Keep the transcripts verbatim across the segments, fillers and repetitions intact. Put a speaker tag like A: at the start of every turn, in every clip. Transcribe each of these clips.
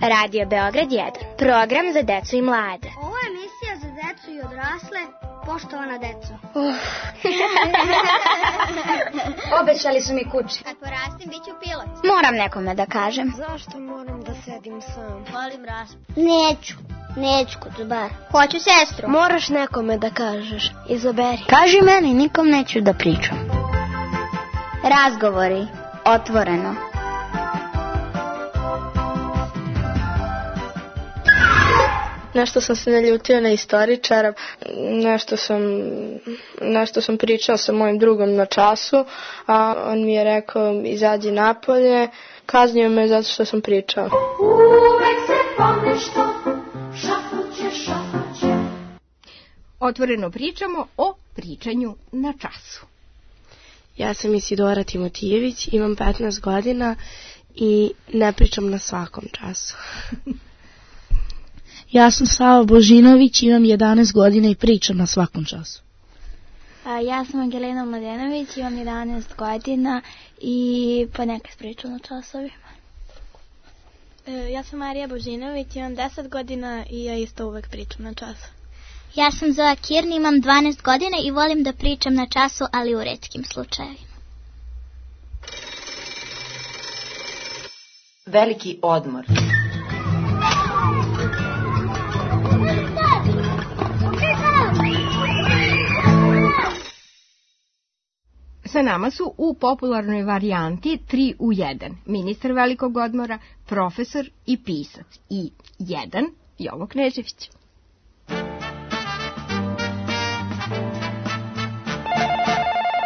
A: Radio Beograd jedan. Program za decu i mlade.
B: Ovo je emisija za decu i odrasle. Poštovana deco.
A: Uh.
B: Obećali su mi kući.
A: Kad porastim, bit ću pilot. Moram nekome da kažem.
C: Zašto moram da sedim sam?
B: Volim raspad.
A: Neću. Neću kod zubara. Hoću sestru.
C: Moraš nekome da kažeš. Izaberi.
A: Kaži meni, nikom neću da pričam. Razgovori. Otvoreno.
D: Nešto sam se naljutio na istoričara, nešto sam, nešto sam pričao sa mojim drugom na času, a on mi je rekao izađi napolje, kaznio me zato što sam pričao.
E: Uvek se ponešto, šapuće, šapuće.
F: Otvoreno pričamo o pričanju na času.
G: Ja sam Isidora Timotijević, imam petnaest godina i ne pričam na svakom času.
H: Ja sam Sava Božinović, imam jedanaest godina i pričam na svakom času.
I: A, ja sam Angelina Mladenović, imam jedanaest godina i ponekad pričam na časovima.
J: E, ja sam Marija Božinović, imam deset godina i ja isto uvek pričam na času.
K: Ja sam Zoja Kirni, imam dvanaest godina i volim da pričam na času, ali u retkim slučajevima.
L: Veliki odmor.
F: Sa nama su u popularnoj varijanti tri u jedan. Ministar velikog odmora, profesor i pisac. I jedan, Jovo Knežević.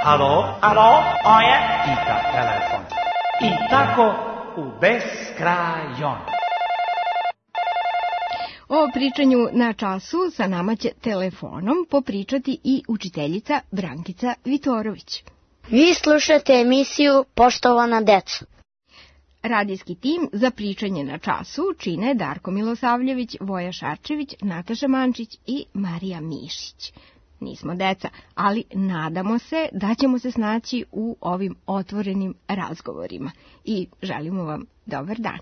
M: Alo, alo, o je pita telefon. I tako u beskrajon.
F: O pričanju na času sa nama će telefonom popričati i učiteljica Brankica Vitorović.
A: Vi slušate emisiju Poštovana deco.
F: Radijski tim za pričanje na času čine Darko Milosavljević, Voja Šarčević, Nataša Mančić i Marija Mišić. Nismo deca, ali nadamo se da ćemo se snaći u ovim otvorenim razgovorima. I želimo vam dobar dan.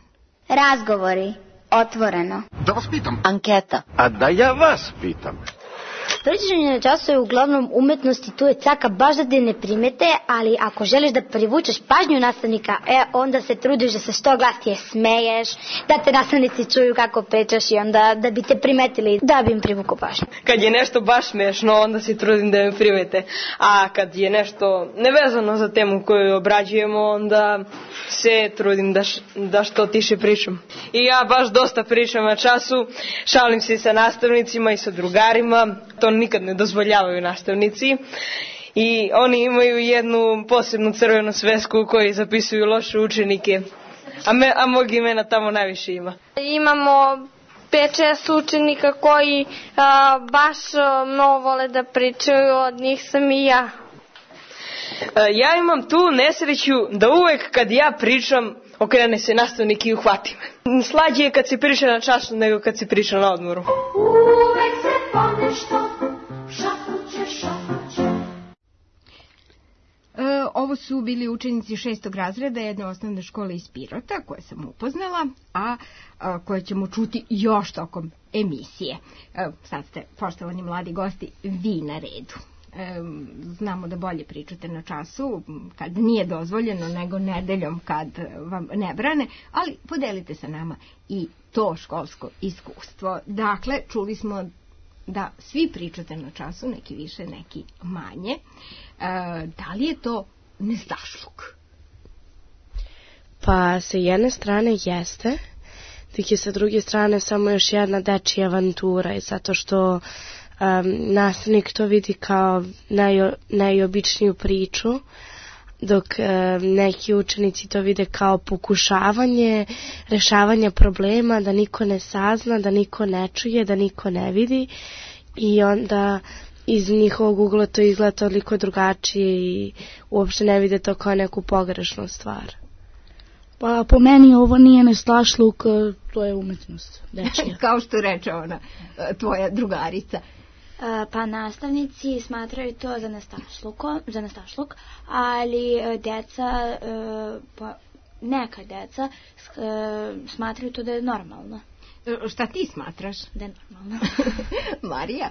A: Razgovori. Otvoreno.
N: Da vas pitam.
A: Anketa.
N: A da ja vas pitam.
A: Pričanje na času je uglavnom umetnost i tu je caka baš da te ne primete, ali ako želiš da privučeš pažnju nastavnika, e, onda se trudiš da se što glasnije smeješ, da te nastavnici čuju kako pričaš i onda da bi te primetili, da bi im privuku pažnju.
D: Kad je nešto baš smešno, onda se trudim da me primete, a kad je nešto nevezano za temu koju obrađujemo, onda se trudim da, š, da što tiše pričam. I ja baš dosta pričam na času, šalim se sa nastavnicima i sa drugarima, to nikad ne dozvoljavaju nastavnici i oni imaju jednu posebnu crvenu svesku u kojoj zapisuju loše učenike, a, me, a mog imena tamo najviše ima.
J: Imamo pet šest učenika koji a, baš a, mnogo vole da pričaju, od njih sam i ja.
D: A, ja imam tu nesreću da uvek kad ja pričam okrene se nastavnik i uhvati me. Slađe je kad se priča na času nego kad se priča na odmoru.
E: Uvek se ponešto, šapuće, šapuće.
F: E, ovo su bili učenici šestog razreda jedne osnovne škole iz Pirota, koje sam upoznala, a, a koje ćemo čuti još tokom emisije. E, sad ste, poštovani mladi gosti, vi na redu. E, znamo da bolje pričate na času kad nije dozvoljeno nego nedeljom kad vam ne brane, ali podelite sa nama i to školsko iskustvo. Dakle, čuli smo da svi pričate na času, neki više, neki manje. E, da li je to nestašluk?
G: Pa sa jedne strane jeste, dok je sa druge strane samo još jedna dečija avantura i zato što Um, nastavnik to vidi kao naj, najobičniju priču, dok um, neki učenici to vide kao pokušavanje rešavanja problema, da niko ne sazna, da niko ne čuje, da niko ne vidi i onda iz njihovog ugla to izgleda toliko drugačije i uopšte ne vide to kao neku pogrešnu stvar.
H: Pa po meni ovo nije nestašluk, to je umetnost.
F: Kao što reče ona, tvoja drugarica.
I: Pa nastavnici smatraju to za nestašluk, za nestašluk, ali deca pa, neka deca smatraju to da je normalno.
F: Šta ti smatraš?
I: Da je normalno.
F: Marija?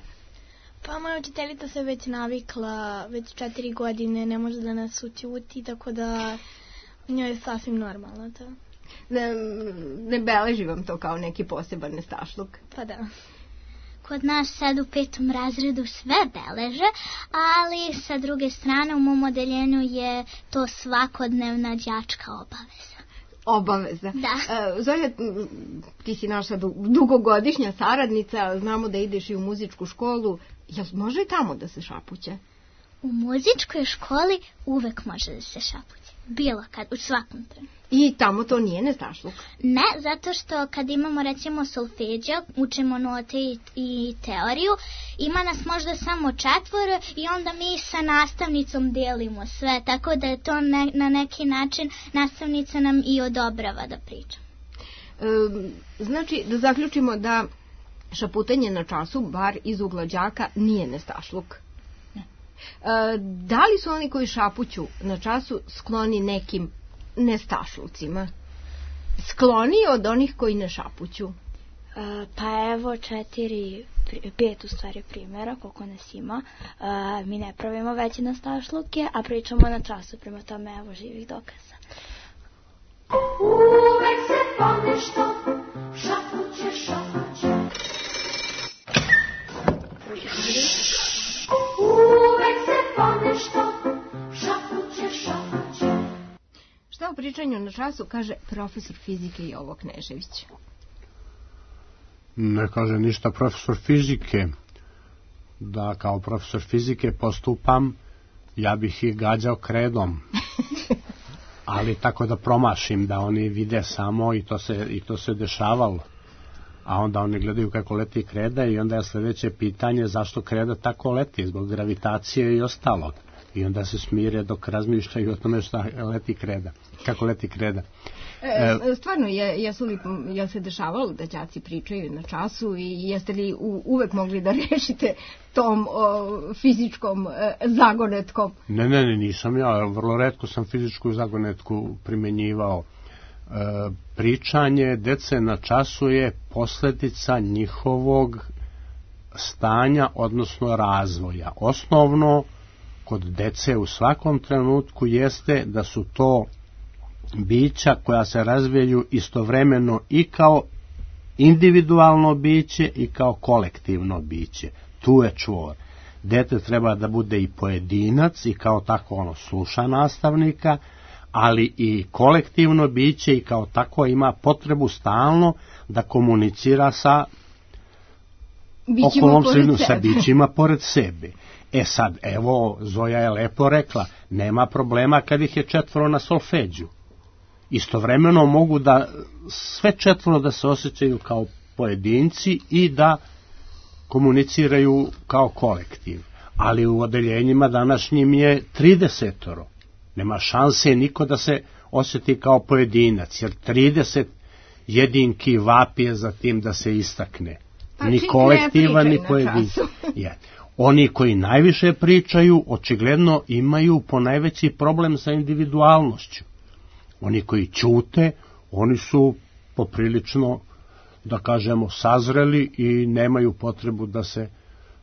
C: Pa moja učiteljica se već navikla, već četiri godine ne može da nas učuti, tako da njoj je sasvim normalno to.
F: Ne, ne beleži vam to kao neki poseban nestašluk?
C: Pa da.
K: Kod nas sad u petom razredu sve beleže, ali sa druge strane u mom odeljenju je to svakodnevna đačka obaveza.
F: Obaveza.
K: Da.
F: E, Zolja, ti si naša dugogodišnja saradnica, znamo da ideš i u muzičku školu. Jel može i tamo da se šapuće?
K: U muzičkoj školi uvek može da se šapuće. Bilo kad, u svakom trenutku.
F: I tamo to nije nestašluk?
K: Ne, zato što kad imamo recimo solfeđa, učimo note i, i teoriju, ima nas možda samo četvoro i onda mi sa nastavnicom delimo sve, tako da je to ne, na neki način nastavnica nam i odobrava da pričam.
F: E, znači, da zaključimo da šaputanje na času, bar iz ugla đaka, nije nestašluk.
K: Ne.
F: E, da li su oni koji šapuću na času skloni nekim nestašlucima? Skloniji od onih koji ne šapuću?
I: Uh, pa evo četiri, pet u stvari primjera koliko nas ima. Uh, mi ne pravimo veće nestašluke, a pričamo na času, prema tome evo živih dokaza.
E: Uvek se ponešto šapuće, šapuće. Uvek se ponešto šapuće, šapuće.
F: Šta o pričanju na času kaže profesor fizike Jovo Knežević?
L: Ne kaže ništa profesor fizike. Da kao profesor fizike postupam, ja bih ih gađao kredom. Ali tako da promašim, da oni vide samo i to se, i to se dešavalo. A onda oni gledaju kako leti kreda i onda je sljedeće pitanje zašto kreda tako leti, zbog gravitacije i ostalog. I onda se smire dok razmišljaju o tome šta leti kreda, kako leti kreda.
F: E, stvarno, je, jesu li, je se dešavalo da đaci pričaju na času i jeste li u, uvek mogli da rešite tom o, fizičkom e, zagonetkom?
L: Ne, ne, ne, nisam ja. Vrlo retko sam fizičku zagonetku primenjivao. E, pričanje dece na času je posljedica njihovog stanja, odnosno razvoja. Osnovno kod dece u svakom trenutku jeste da su to bića koja se razvijaju istovremeno i kao individualno biće i kao kolektivno biće. Tu je čvor. Dete treba da bude i pojedinac i kao tako ono sluša nastavnika, ali i kolektivno biće i kao tako ima potrebu stalno da komunicira sa okolnom sredinu, sa bićima pored sebe. E sad, evo, Zoja je lepo rekla, nema problema kad ih je četvoro na solfeđu. Istovremeno mogu da sve četvoro da se osjećaju kao pojedinci i da komuniciraju kao kolektiv. Ali u odeljenjima današnjim je tridesetoro. Nema šanse niko da se osjeti kao pojedinac, jer trideset jedinki vapije za tim da se istakne.
F: Pa
L: ni kolektiva, ni pojedinca. Oni koji najviše pričaju, očigledno imaju ponajveći problem sa individualnošću. Oni koji ćute, oni su poprilično, da kažemo, sazreli i nemaju potrebu da se,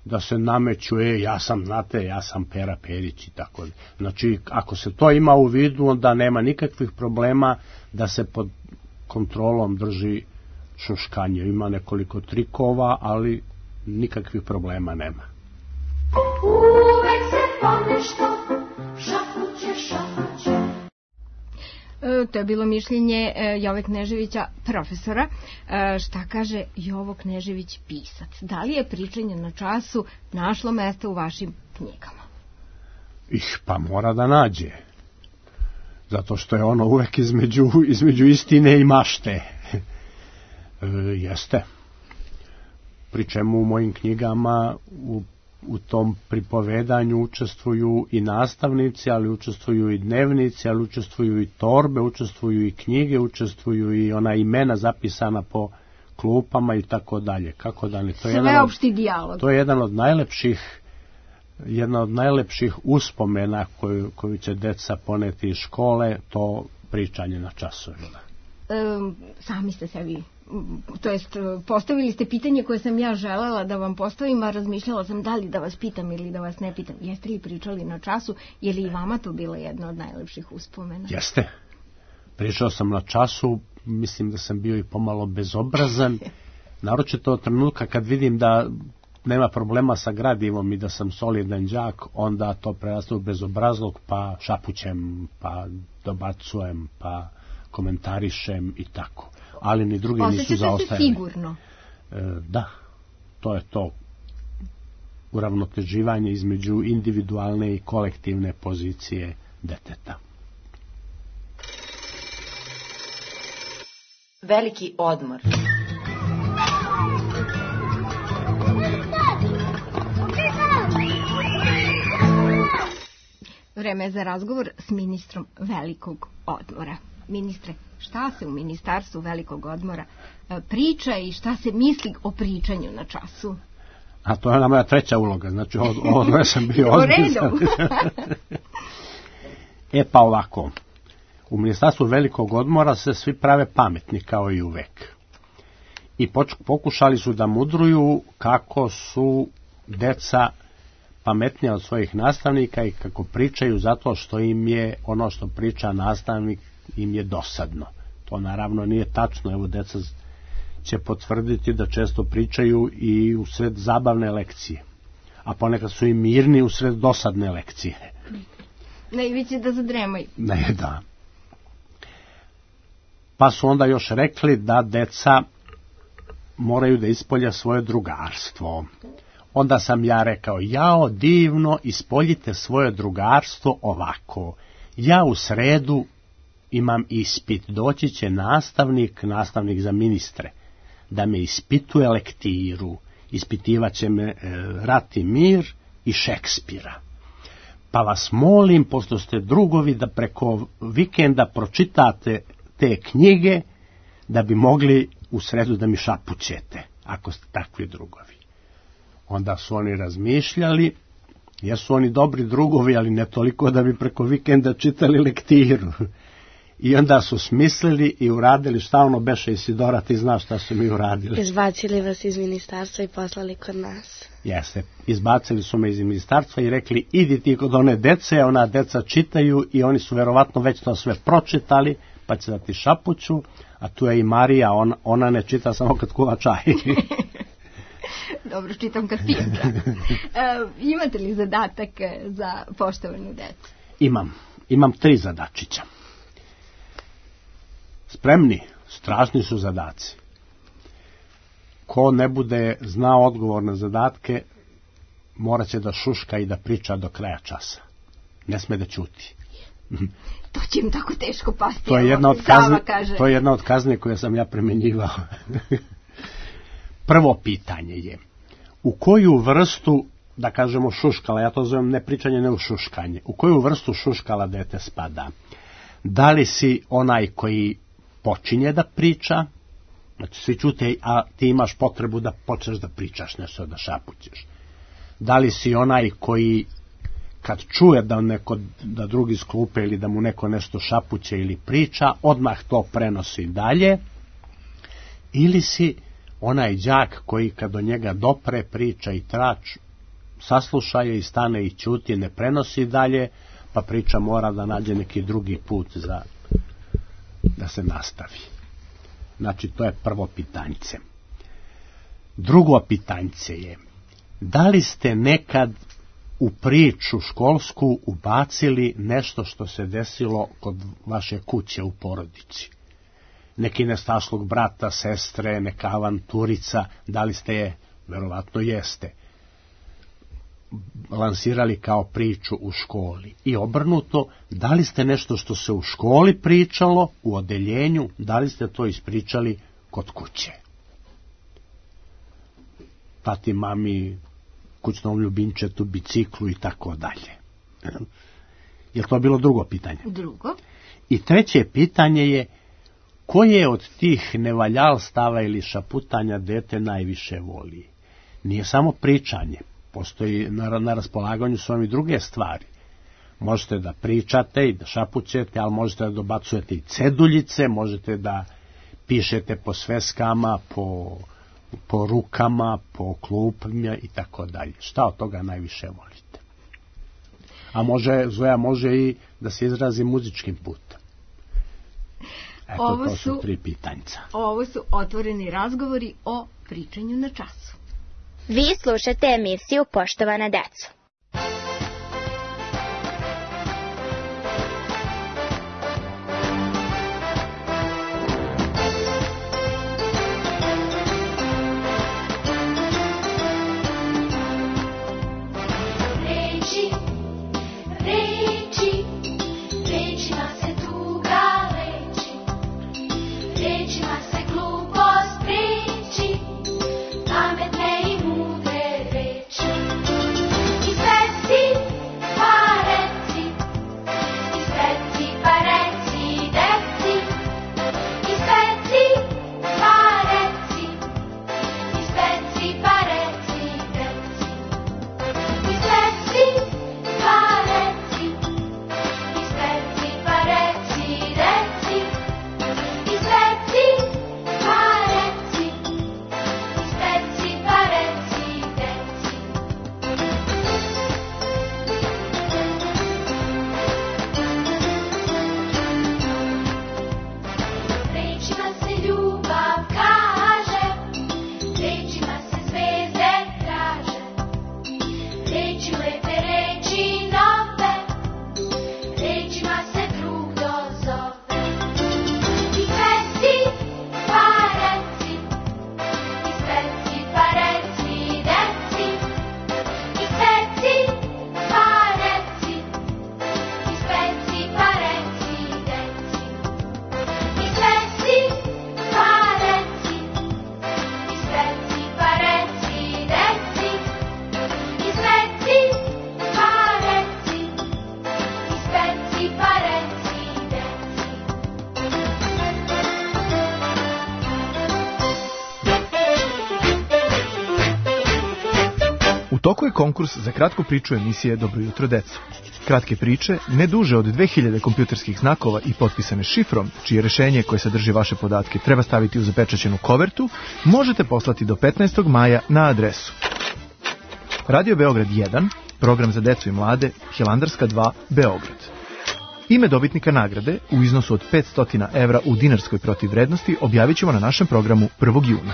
L: da se nameću, e, ja sam, znate, ja sam Pera Perić i tako. Znači, ako se to ima u vidu, onda nema nikakvih problema da se pod kontrolom drži šuškanje. Ima nekoliko trikova, ali nikakvih problema nema.
E: Uvek se ponešto šapuće, šapuće.
F: E, to je bilo mišljenje e, Jove Kneževića, profesora. E, šta kaže Jovo Knežević, pisac? Da li je pričanje na času našlo mesta u vašim knjigama?
L: Ih, pa mora da nađe. Zato što je ono uvek između, između istine i mašte. E, jeste. Pri čemu u mojim knjigama u u tom pripovedanju učestvuju i nastavnici, ali učestvuju i dnevnici, ali učestvuju i torbe, učestvuju i knjige, učestvuju i ona imena zapisana po klupama i tako dalje. Kako da ne? To je
F: sveopšti dijalog.
L: To je jedan od najlepših jedna od najlepših uspomena koju, koju će deca poneti iz škole, to pričanje na časovima?
F: E, sami ste sebi, to jest postavili ste pitanje koje sam ja želela da vam postavim, a razmišljala sam da li da vas pitam ili da vas ne pitam. Jeste li pričali na času? Je li i vama to bila jedna od najlepših uspomena?
L: Jeste. Pričao sam na času, mislim da sam bio i pomalo bezobrazan, naročito od trenutka kad vidim da nema problema sa gradivom i da sam solidan đak, onda to preraste u bezobrazlog, pa šapućem, pa dobacujem, pa komentarišem i tako. Ali ni drugi nisu zaostajali.
F: Osjećate se sigurno?
L: E, da, to je to uravnoteživanje između individualne i kolektivne pozicije deteta.
O: Veliki odmor.
F: Vreme je za razgovor s ministrom velikog odmora. Ministre, šta se u ministarstvu velikog odmora priča i šta se misli o pričanju na času?
L: A to je ona moja treća uloga, znači ovo, ovo sam bio ozbiljan. E pa ovako, u ministarstvu velikog odmora se svi prave pametni kao i uvek. I pokušali su da mudruju kako su deca pametnija od svojih nastavnika i kako pričaju zato što im je ono što priča nastavnik im je dosadno. To naravno nije tačno, evo deca će potvrditi da često pričaju i u sred zabavne lekcije, a ponekad su i mirni u sred dosadne lekcije.
F: Najveće da zadremaju.
L: Ne, da. Pa su onda još rekli da deca moraju da ispolje svoje drugarstvo. Onda sam ja rekao, jao divno, ispoljite svoje drugarstvo ovako. Ja u sredu imam ispit, doći će nastavnik, nastavnik za ministre, da me ispituje lektiru, ispitivat će me e, Rat i mir i Šekspira. Pa vas molim, pošto ste drugovi, da preko vikenda pročitate te knjige, da bi mogli u sredu da mi šapućete, ako ste takvi drugovi. Onda su oni razmišljali, jesu oni dobri drugovi, ali ne toliko da bi preko vikenda čitali lektiru. I onda su smislili i uradili šta ono beše. Isidora, ti znaš šta su mi uradili.
G: Izbacili vas iz ministarstva i poslali kod nas.
L: Jeste, izbacili su me iz ministarstva i rekli, idi ti kod one dece, ona deca čitaju i oni su verovatno već to sve pročitali, pa će da ti šapuću, a tu je i Marija, ona, ona ne čita samo kad kuva čaj.
F: Dobro, čitam kad pijem. E, imate li zadatak za poštovanu decu?
L: Imam, imam tri zadačića. Spremni, strašni su zadaci. Ko ne bude znao odgovor na zadatke, morat će da šuška i da priča do kraja časa. Ne sme da ćuti.
F: To će im tako teško pasti.
L: To je jedna od kazni, to je jedna od kazni koje sam ja primenjivao. Prvo pitanje je, u koju vrstu, da kažemo šuškala, ja to zovem ne pričanje, ne u šuškanje, u koju vrstu šuškala dete spada? Da li si onaj koji počinje da priča, znači svi čute, a ti imaš potrebu da počneš da pričaš nešto, da šapućeš? Da li si onaj koji kad čuje da neko, da drugi sklupe ili da mu neko nešto šapuće ili priča, odmah to prenosi dalje? Ili si onaj đak koji kad do njega dopre priča i trač, sasluša je i stane i ćuti, ne prenosi dalje, pa priča mora da nađe neki drugi put za da se nastavi. Znači, to je prvo pitanjce. Drugo pitanjce je, da li ste nekad u priču školsku ubacili nešto što se desilo kod vaše kuće u porodici? Neki nestašlog brata, sestre, neka avanturica, da li ste je, verovatno jeste, lansirali kao priču u školi? I obrnuto, da li ste nešto što se u školi pričalo, u odeljenju, da li ste to ispričali kod kuće? Tati, mami, kućnom ljubimčetu, biciklu i tako dalje. Je li to bilo drugo pitanje?
F: Drugo.
L: I treće pitanje je, koje od tih nevaljalstava ili šaputanja dete najviše voli? Nije samo pričanje, postoji na, na raspolaganju su vam i druge stvari. Možete da pričate i da šapućete, ali možete da dobacujete i ceduljice, možete da pišete po sveskama, po, po rukama, po klupima i tako dalje. Šta od toga najviše volite? A može, Zoja može i da se izrazi muzičkim putem. Eto,
F: ovo
L: to su,
F: su
L: tri pitanjca.
F: Ovo su otvoreni razgovori o pričanju na času.
O: Vi slušate emisiju Poštovana deco.
P: toku je konkurs za kratku priču emisije Dobro jutro deco. Kratke priče, ne duže od dve hiljade kompjuterskih znakova i potpisane šifrom, čije rešenje koje sadrži vaše podatke treba staviti u zapečaćenu kovertu, možete poslati do petnaestog maja na adresu Radio Beograd jedan, program za decu i mlade, Hilandarska dva, Beograd. Ime dobitnika nagrade u iznosu od petsto evra u dinarskoj protivvrednosti objavit ćemo na našem programu prvog juna.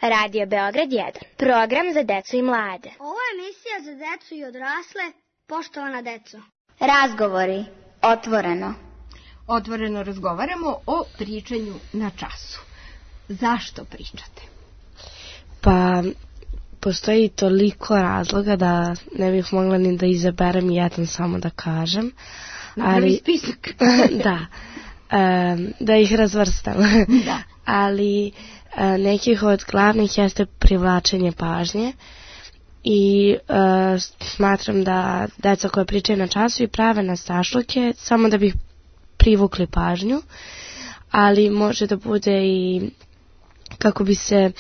O: Radio Beograd jedan, program za decu i mlade.
B: Ovo je emisija za decu i odrasle, poštovana deco.
O: Razgovori, otvoreno.
F: Otvoreno razgovaramo o pričanju na času. Zašto pričate?
G: Pa, postoji toliko razloga da ne bih mogla ni da izaberem jedan samo da kažem.
F: Napravi
G: ali,
F: spisak.
G: Da, um, da ih razvrstam.
F: Da.
G: Ali nekih od glavnih jeste privlačenje pažnje i uh, smatram da deca koja pričaju na času i prave na stašluke samo da bi privukli pažnju, ali može da bude i kako bi se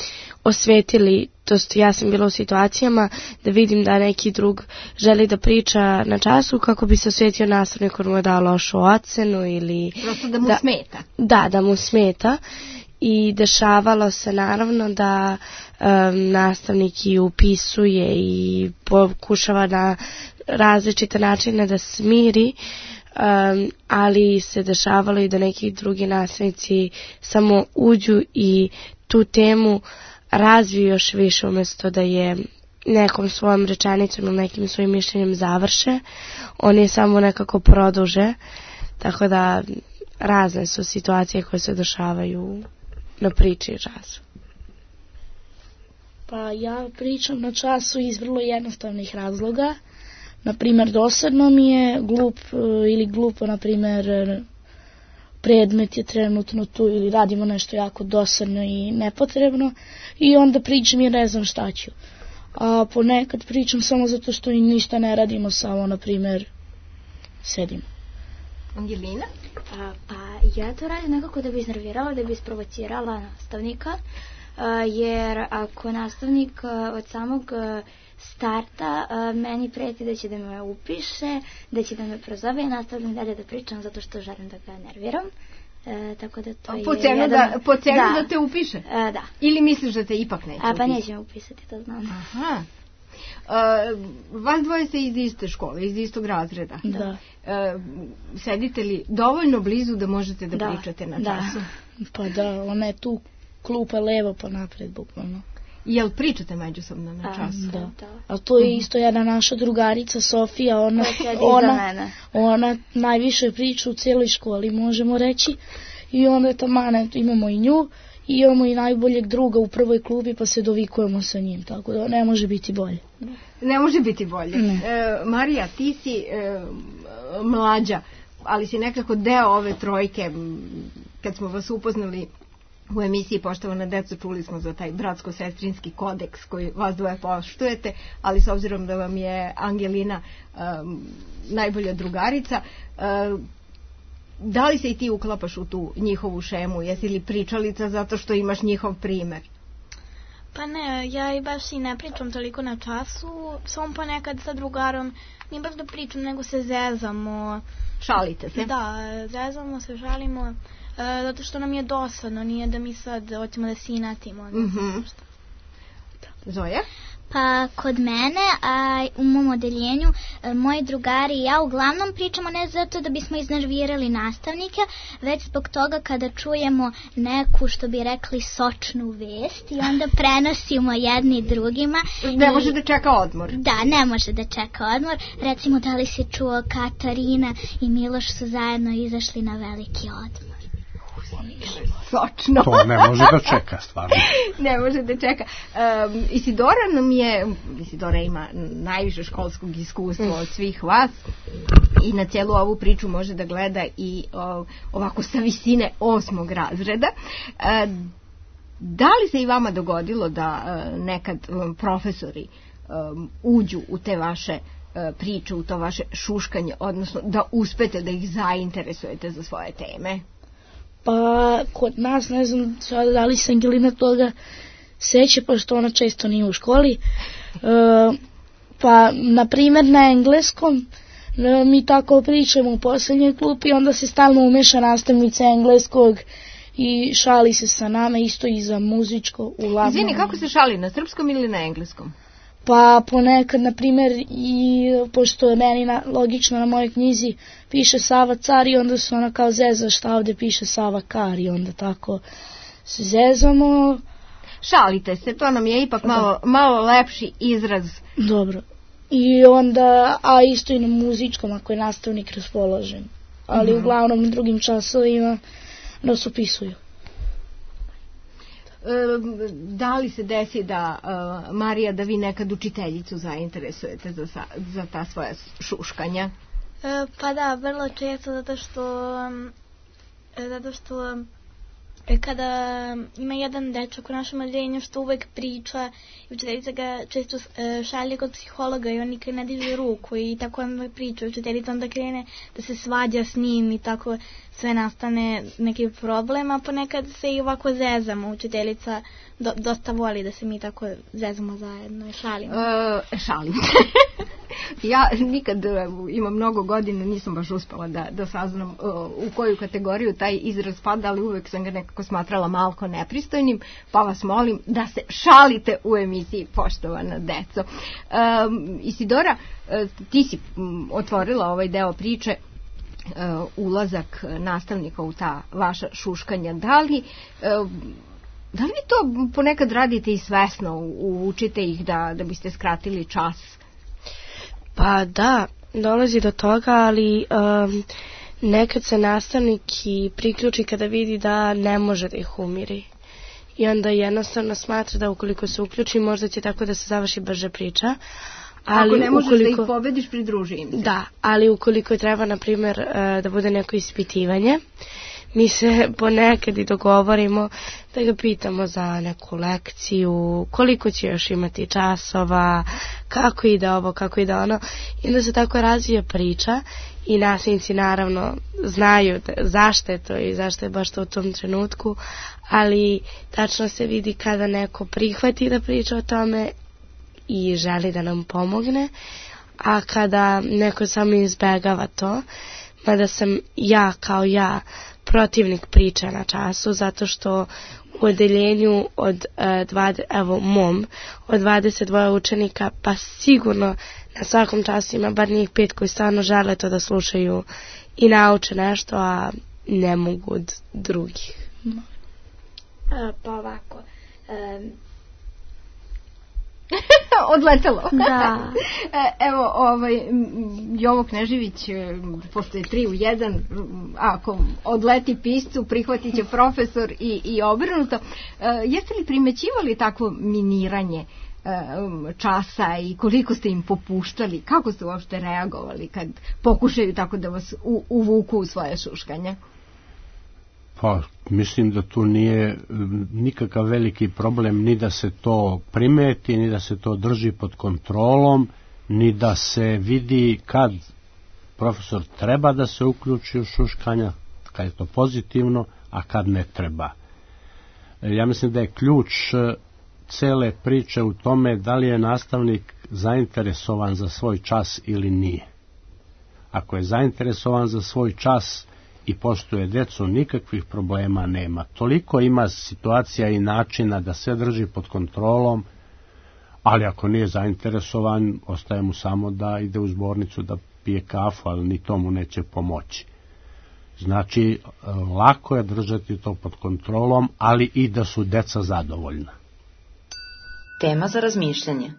G: osvetili, to jest ja sam bila u situacijama da vidim da neki drug želi da priča na času kako bi se osvetio nastavnik koji mu je dao lošu ocenu ili...
F: Prosto da mu
G: da,
F: smeta.
G: Da, da mu smeta. I dešavalo se naravno da um, nastavnik i upisuje i pokušava na različite načine da smiri, um, ali se dešavalo i da neki drugi nastavnici samo uđu i tu temu razviju još više umjesto da je nekom svojom rečenicom ili nekim svojim mišljenjem završe. Oni je samo nekako produže, tako da razne su situacije koje se dešavaju na priči i času.
H: Pa ja pričam na času iz vrlo jednostavnih razloga. Naprimjer, dosadno mi je glup ili glupo, naprimjer, predmet je trenutno tu ili radimo nešto jako dosadno i nepotrebno i onda pričam i ne znam šta ću. A ponekad pričam samo zato što i ništa ne radimo, samo, naprimjer, sedimo.
F: Angelina?
I: A, pa ja to radim nekako da bi iznervirala, da bi isprovocirala nastavnika, a, jer ako nastavnik a, od samog a, starta a, meni preti da će da me upiše, da će da me prozove i nastavljam dalje da pričam zato što želim da ga nerviram. E, tako da to
F: po
I: je
F: cenu,
I: jedan...
F: da, po cenu
I: da.
F: da te upiše?
I: E, da.
F: Ili misliš da te ipak neće
I: A, pa
F: upisati?
I: neće me upisati, to znam.
F: Aha. Uh, vas dvoje ste iz iste škole, iz istog razreda.
H: Da.
F: Uh, sedite li dovoljno blizu da možete da, da. pričate na času?
H: Da. Pa da, ona je tu klupa levo pa napred, bukvalno.
F: Jel pričate međusobno na času?
H: Da. da. A to je isto jedna naša drugarica, Sofija, ona, ona, ona najviše priča u cijeloj školi, možemo reći. I onda je tamane, imamo i nju, i imamo i najboljeg druga u prvoj klubi, pa se dovikujemo sa njim, tako da ne može biti bolje.
F: Ne može biti bolje. E, Marija, ti si e, mlađa, ali si nekako deo ove trojke. Kad smo vas upoznali u emisiji Poštovana deco, čuli smo za taj bratsko-sestrinski kodeks koji vas dvoje poštujete, ali s obzirom da vam je Angelina um, najbolja drugarica, um, da li se i ti uklapaš u tu njihovu šemu? Jesi li pričalica zato što imaš njihov primer?
C: Pa ne, ja i baš i ne pričam toliko na času, samo ponekad sa drugarom, nije baš da pričam, nego se zezamo.
F: Šalite se?
C: Da, zezamo se, šalimo, e, zato što nam je dosadno, nije da mi sad hoćemo da se inatimo.
F: Mm-hmm. Zoja?
K: Pa kod mene, a u mom odeljenju, moji drugari i ja uglavnom pričamo ne zato da bismo iznervirali nastavnike, već zbog toga kada čujemo neku, što bi rekli, sočnu vest i onda prenosimo jedni drugima.
F: Ne može da čeka odmor.
K: Da, ne može da čeka odmor. Recimo, da li si čuo Katarina i Miloš su zajedno izašli na veliki odmor.
F: Sočno.
L: To ne može da čeka, stvarno.
F: Ne može da čeka. Um, Isidora nam je, Isidora ima najviše školskog iskustva od svih vas i na cijelu ovu priču može da gleda i o, ovako sa visine osmog razreda. Uh, da li se i vama dogodilo da uh, nekad um, profesori um, uđu u te vaše uh, priče, u to vaše šuškanje, odnosno da uspete da ih zainteresujete za svoje teme?
H: Pa kod nas, ne znam da li se Angelina toga seća, pošto ona često nije u školi. E, pa, na primjer, na engleskom e, mi tako pričamo u posljednjoj klupi, onda se stalno umeša nastavnica engleskog i šali se sa nama, isto i za muzičko. Uglavnom.
F: Izvini, kako se šali, na srpskom ili na engleskom?
H: Pa ponekad, na primjer, i pošto je meni na, logično na mojoj knjizi piše Sava car i onda se ona kao zeza šta ovdje piše Sava kar i onda tako se zezamo.
F: Šalite se, to nam je ipak malo, malo lepši izraz.
H: Dobro. I onda, a isto i na muzičkom ako je nastavnik raspoložen. Ali mm-hmm. uglavnom u drugim časovima nas upisuju.
F: Da li se desi da, uh, Marija, da vi nekad učiteljicu zainteresujete za, za ta svoja šuškanja?
C: E, pa da, vrlo često, zato što, zato što kada ima jedan dečak u našem odeljenju što uvek priča i učiteljica ga često šalje kod psihologa i on nikad ne diže ruku i tako onda priča. Učiteljica onda krene da se svađa s njim i tako sve nastane neki problem, a ponekad se i ovako zezamo. Učiteljica do, dosta voli da se mi tako zezamo zajedno i šalimo.
F: E, šalim. Ja nikad imam mnogo godina, nisam baš uspela da, da saznam uh, u koju kategoriju taj izraz pada, ali uvek sam ga nekako smatrala malko nepristojnim, pa vas molim da se šalite u emisiji Poštovana deco. Um, Isidora, uh, ti si um, otvorila ovaj deo priče, uh, ulazak nastavnika u ta vaša šuškanja. Da li... Uh, Da li vi to ponekad radite i svesno, učite ih da, da biste skratili čas?
G: Pa da, dolazi do toga, ali um, nekad se nastavnik i priključi kada vidi da ne može da ih umiri. I onda jednostavno smatra da ukoliko se uključi, možda će tako da se završi brže priča. Ali
F: ako ne možeš
G: ukoliko,
F: da ih pobediš, pridruži im se.
G: Da, ali ukoliko treba, na primjer, da bude neko ispitivanje, mi se ponekad i dogovorimo da ga pitamo za neku lekciju, koliko će još imati časova, kako ide ovo, kako ide ono. I onda se tako razvije priča i nastavnici naravno znaju da, zašto je to i zašto je baš to u tom trenutku, ali tačno se vidi kada neko prihvati da priča o tome i želi da nam pomogne, a kada neko samo izbegava to, mada sam ja kao ja protivnik priče na času, zato što u odeljenju od e, dvadeset, evo mom, od dvadeset dva učenika, pa sigurno na svakom času ima bar njih pet koji stvarno žele to da slušaju i nauče nešto, a ne mogu od drugih.
A: A, pa ovako, um,
F: odletelo.
A: Da.
F: Evo, ovaj, Jovo Knežević, pošto je tri u jedan, ako odleti piscu, prihvatit će profesor i, i obrnuto. Jeste li primećivali takvo miniranje časa i koliko ste im popuštali? Kako ste uopšte reagovali kad pokušaju tako da vas u, uvuku u svoje šuškanje?
L: Pa, mislim da tu nije nikakav veliki problem ni da se to primeti, ni da se to drži pod kontrolom, ni da se vidi kad profesor treba da se uključi u šuškanja, kad je to pozitivno, a kad ne treba. Ja mislim da je ključ cele priče u tome da li je nastavnik zainteresovan za svoj čas ili nije. Ako je zainteresovan za svoj čas i poštuje decu, nikakvih problema nema. Toliko ima situacija i načina da sve drži pod kontrolom, ali ako nije zainteresovan, ostaje mu samo da ide u zbornicu da pije kafu, ali ni tomu neće pomoći. Znači, lako je držati to pod kontrolom, ali i da su deca zadovoljna.
Q: Tema za razmišljanje.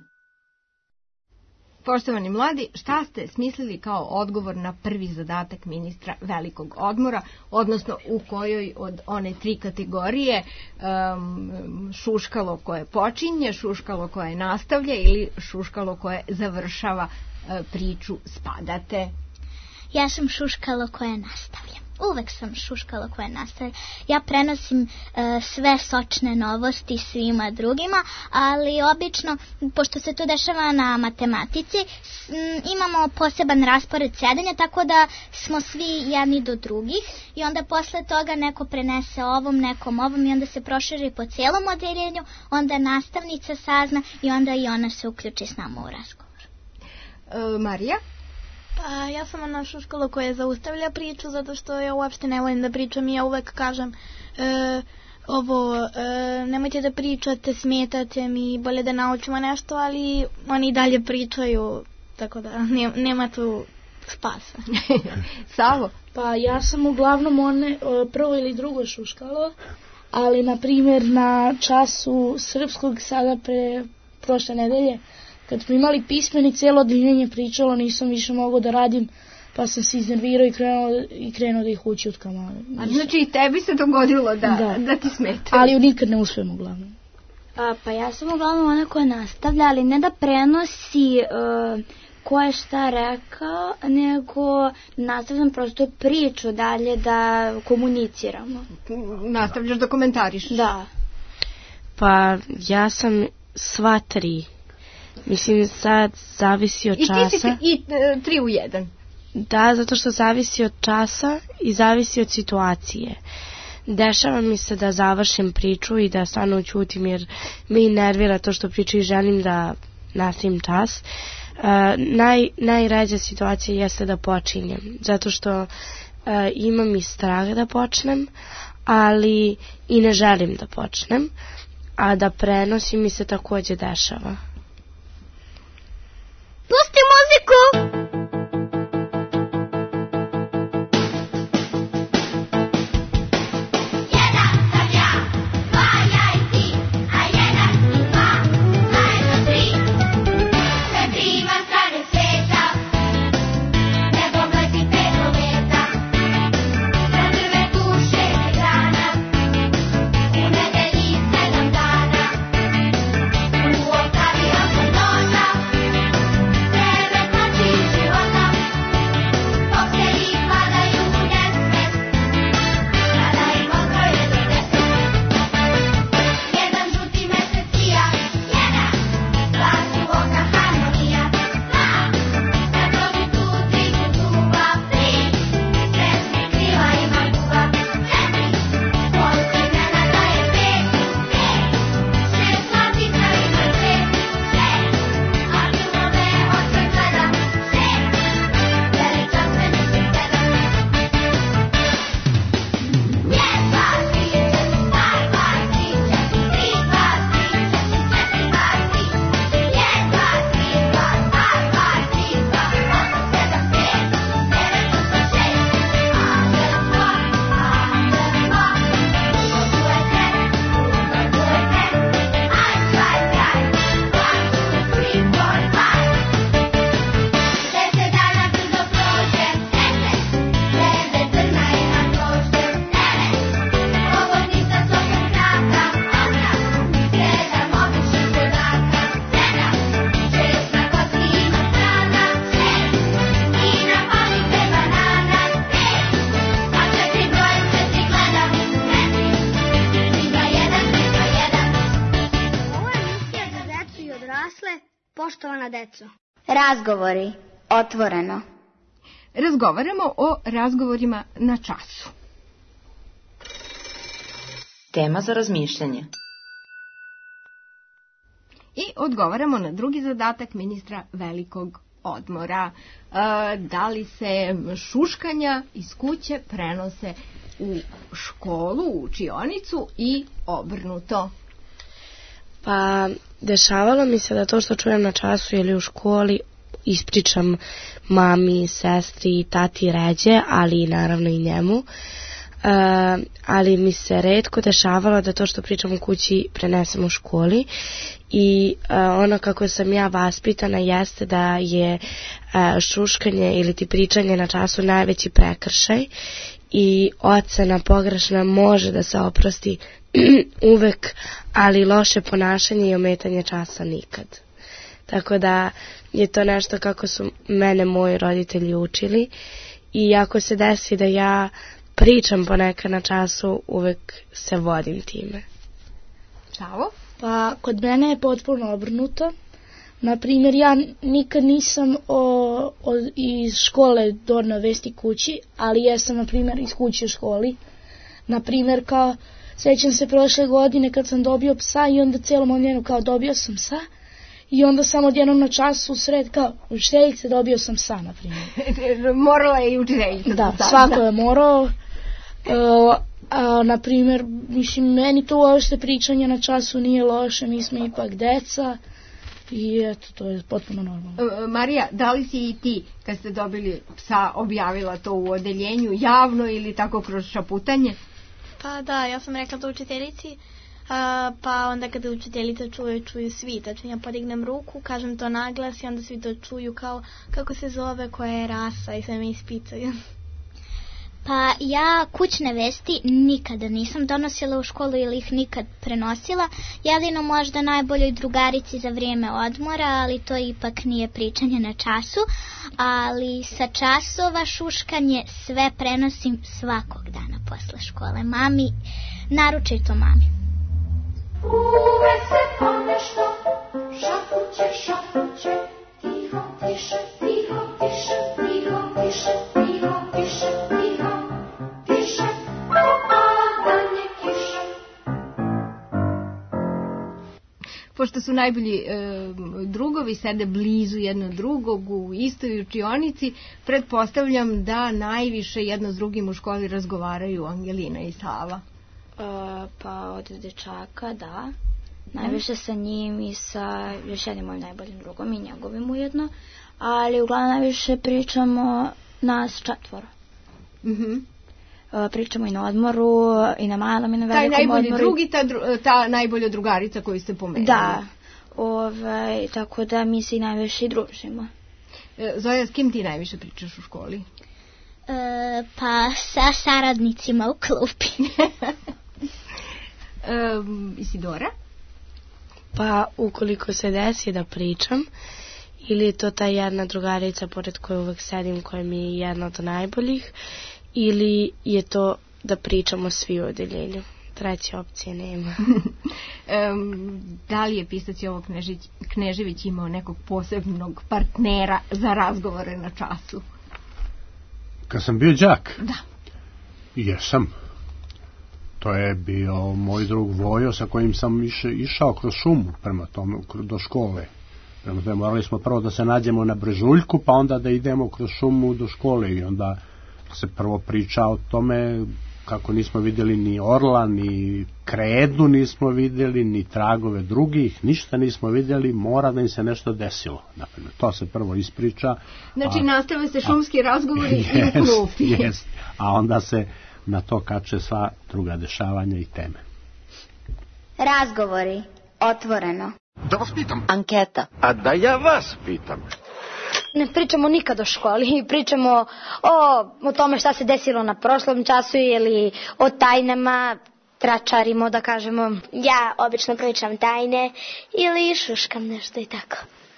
F: Poštovani mladi, šta ste smislili kao odgovor na prvi zadatak ministra velikog odmora, odnosno u kojoj od one tri kategorije um, šuškalo koje počinje, šuškalo koje nastavlja ili šuškalo koje završava uh, priču spadate?
K: Ja sam šuškalo koje nastavlja. Uvek sam šuškalo koje nastavlja. Ja prenosim uh, sve sočne novosti svima drugima, ali obično, pošto se to dešava na matematici, s, m, imamo poseban raspored sedenja, tako da smo svi jedni do drugih i onda posle toga neko prenese ovom, nekom ovom i onda se proširi po cijelom odeljenju, onda nastavnica sazna i onda i ona se uključi s nama u razgovor.
F: E, Marija?
C: Pa ja sam ona šuškalo koja zaustavlja priču, zato što ja uopšte ne volim da pričam i ja uvek kažem e, ovo, e, nemojte da pričate, smetate mi, bolje da naučimo nešto, ali oni dalje pričaju, tako da ne, nema tu spasa.
F: Savo?
H: Pa ja sam uglavnom one prvo ili drugo šuškalo, ali na primjer na času srpskog sada pre prošle nedelje, kad smo imali pismeni, cijelo odeljenje pričalo, nisam više mogao da radim, pa sam se iznervirao i krenuo, i krenuo da ih ući od kamale.
F: A znači i tebi se dogodilo da, da. da ti smeta?
H: Ali nikad ne uspijem uglavnom.
I: A, pa ja sam uglavnom ona koja nastavlja, ali ne da prenosi uh, ko je šta rekao, nego nastavljam prosto priču dalje da komuniciramo.
F: Nastavljaš da komentariš?
I: Da.
G: Pa ja sam sva tri. Mislim, sad zavisi od časa.
F: I ti si i e, tri u jedan.
G: Da, zato što zavisi od časa i zavisi od situacije. Dešava mi se da završim priču i da stvarno ćutim jer me nervira to što pričam i želim da nastavim čas. Uh, naj, najređa situacija jeste da počinjem, zato što uh, imam i strah da počnem, ali i ne želim da počnem, a da prenosim mi se takođe dešava.
K: Pusti muziku!
E: Thank you.
B: poštovana deco.
O: Razgovori. Otvoreno.
F: Razgovaramo o razgovorima na času.
Q: Tema za razmišljanje.
F: I odgovaramo na drugi zadatak ministra velikog odmora. E, da li se šuškanja iz kuće prenose u školu, u učionicu i obrnuto?
G: Pa, dešavalo mi se da to što čujem na času ili u školi ispričam mami, sestri, tati ređe, ali naravno i njemu. Uh, ali mi se retko dešavalo da to što pričam u kući prenesem u školi i uh, ono kako sam ja vaspitana jeste da je uh, šuškanje ili ti pričanje na času najveći prekršaj i ocena pogrešna može da se oprosti uvek, ali loše ponašanje i ometanje časa nikad. Tako da je to nešto kako su mene moji roditelji učili i ako se desi da ja pričam ponekad na času, uvek se vodim time.
F: Čavo?
H: Pa kod mene je potpuno obrnuto. Naprimjer, ja nikad nisam o, o, iz škole doneo vesti kući, ali jesam, naprimjer, iz kuće u školi. Naprimjer, kao, sećam se prošle godine kad sam dobio psa i onda celom omljenu kao dobio sam psa. I onda samo odjednom na času u sred kao učiteljice dobio sam psa, na primjer.
F: Morala je i učiteljica.
H: Da, svako je morao. Uh, a, na primjer, mislim, meni to uopšte pričanje na času nije loše, mi smo ipak deca i eto, to je potpuno normalno.
F: Uh, Marija, da li si i ti, kad ste dobili psa, objavila to u odeljenju javno ili tako kroz šaputanje?
C: Pa da, ja sam rekla to učiteljici. Uh, pa onda kada učiteljica čuje, čuju svi. Tačno ja podignem ruku, kažem to naglas i onda svi to čuju kao kako se zove, koja je rasa i sve me ispitaju.
K: Pa ja kućne vesti nikada nisam donosila u školu ili ih nikad prenosila. Jedino možda najboljoj drugarici za vrijeme odmora, ali to ipak nije pričanje na času. Ali sa časova šuškanje sve prenosim svakog dana posle škole. Mami, naročito mami.
E: Uvek se ponešto šapuće, šapuće, tiho, tiše, tiho, tiše, tiho, tiše, tiho, tiše, tiho, tiše, a padanje kiše.
F: Pošto su najbolji e, drugovi, sede blizu jedno drugog u istoj učionici, pretpostavljam da najviše jedno s drugim u školi razgovaraju Angelina i Sava.
I: Uh, pa od dečaka, da. Najviše sa njim i sa još jednim mojim najboljim drugom i njegovim ujedno. Ali uglavnom najviše pričamo nas četvoro.
F: Mm-hmm.
I: Uh, pričamo i na odmoru, i na malom, i na velikom odmoru.
F: Taj najbolji odmoru. Drugi, ta, ta najbolja drugarica koju ste pomenuli.
I: Da. Ovaj, tako da mi se i najviše i družimo.
F: E, Zoja, s kim ti najviše pričaš u školi?
K: E, pa sa saradnicima u klupi.
F: Um, Isidora?
G: Pa ukoliko se desi da pričam, ili je to ta jedna drugarica pored koje uvek sedim, koja mi je jedna od najboljih, ili je to da pričamo svi u odeljenju. Treće opcije nema.
F: um, da li je pisac Jovo Knežić, Knežević imao nekog posebnog partnera za razgovore na času?
L: Kad sam bio đak?
F: Da.
L: Jesam. To je bio moj drug Vojo sa kojim sam iš, išao kroz šumu prema tome, do škole. Prema tome morali smo prvo da se nađemo na brežuljku, pa onda da idemo kroz šumu do škole i onda se prvo priča o tome kako nismo vidjeli ni orla, ni kredu nismo vidjeli, ni tragove drugih, ništa nismo vidjeli, mora da im se nešto desilo. Naprimjer, to se prvo ispriča.
F: Znači,
L: a,
F: nastave se šumski razgovori
L: jest,
F: i u klupi.
L: Jest, a onda se na to kače sva druga dešavanja i teme.
O: Razgovori. Otvoreno.
N: Da vas pitam.
O: Anketa.
N: A da ja vas pitam.
A: Ne pričamo nikad o školi, pričamo o, o tome šta se desilo na prošlom času ili o tajnama, tračarimo da kažemo.
O: Ja obično pričam tajne ili šuškam nešto i tako.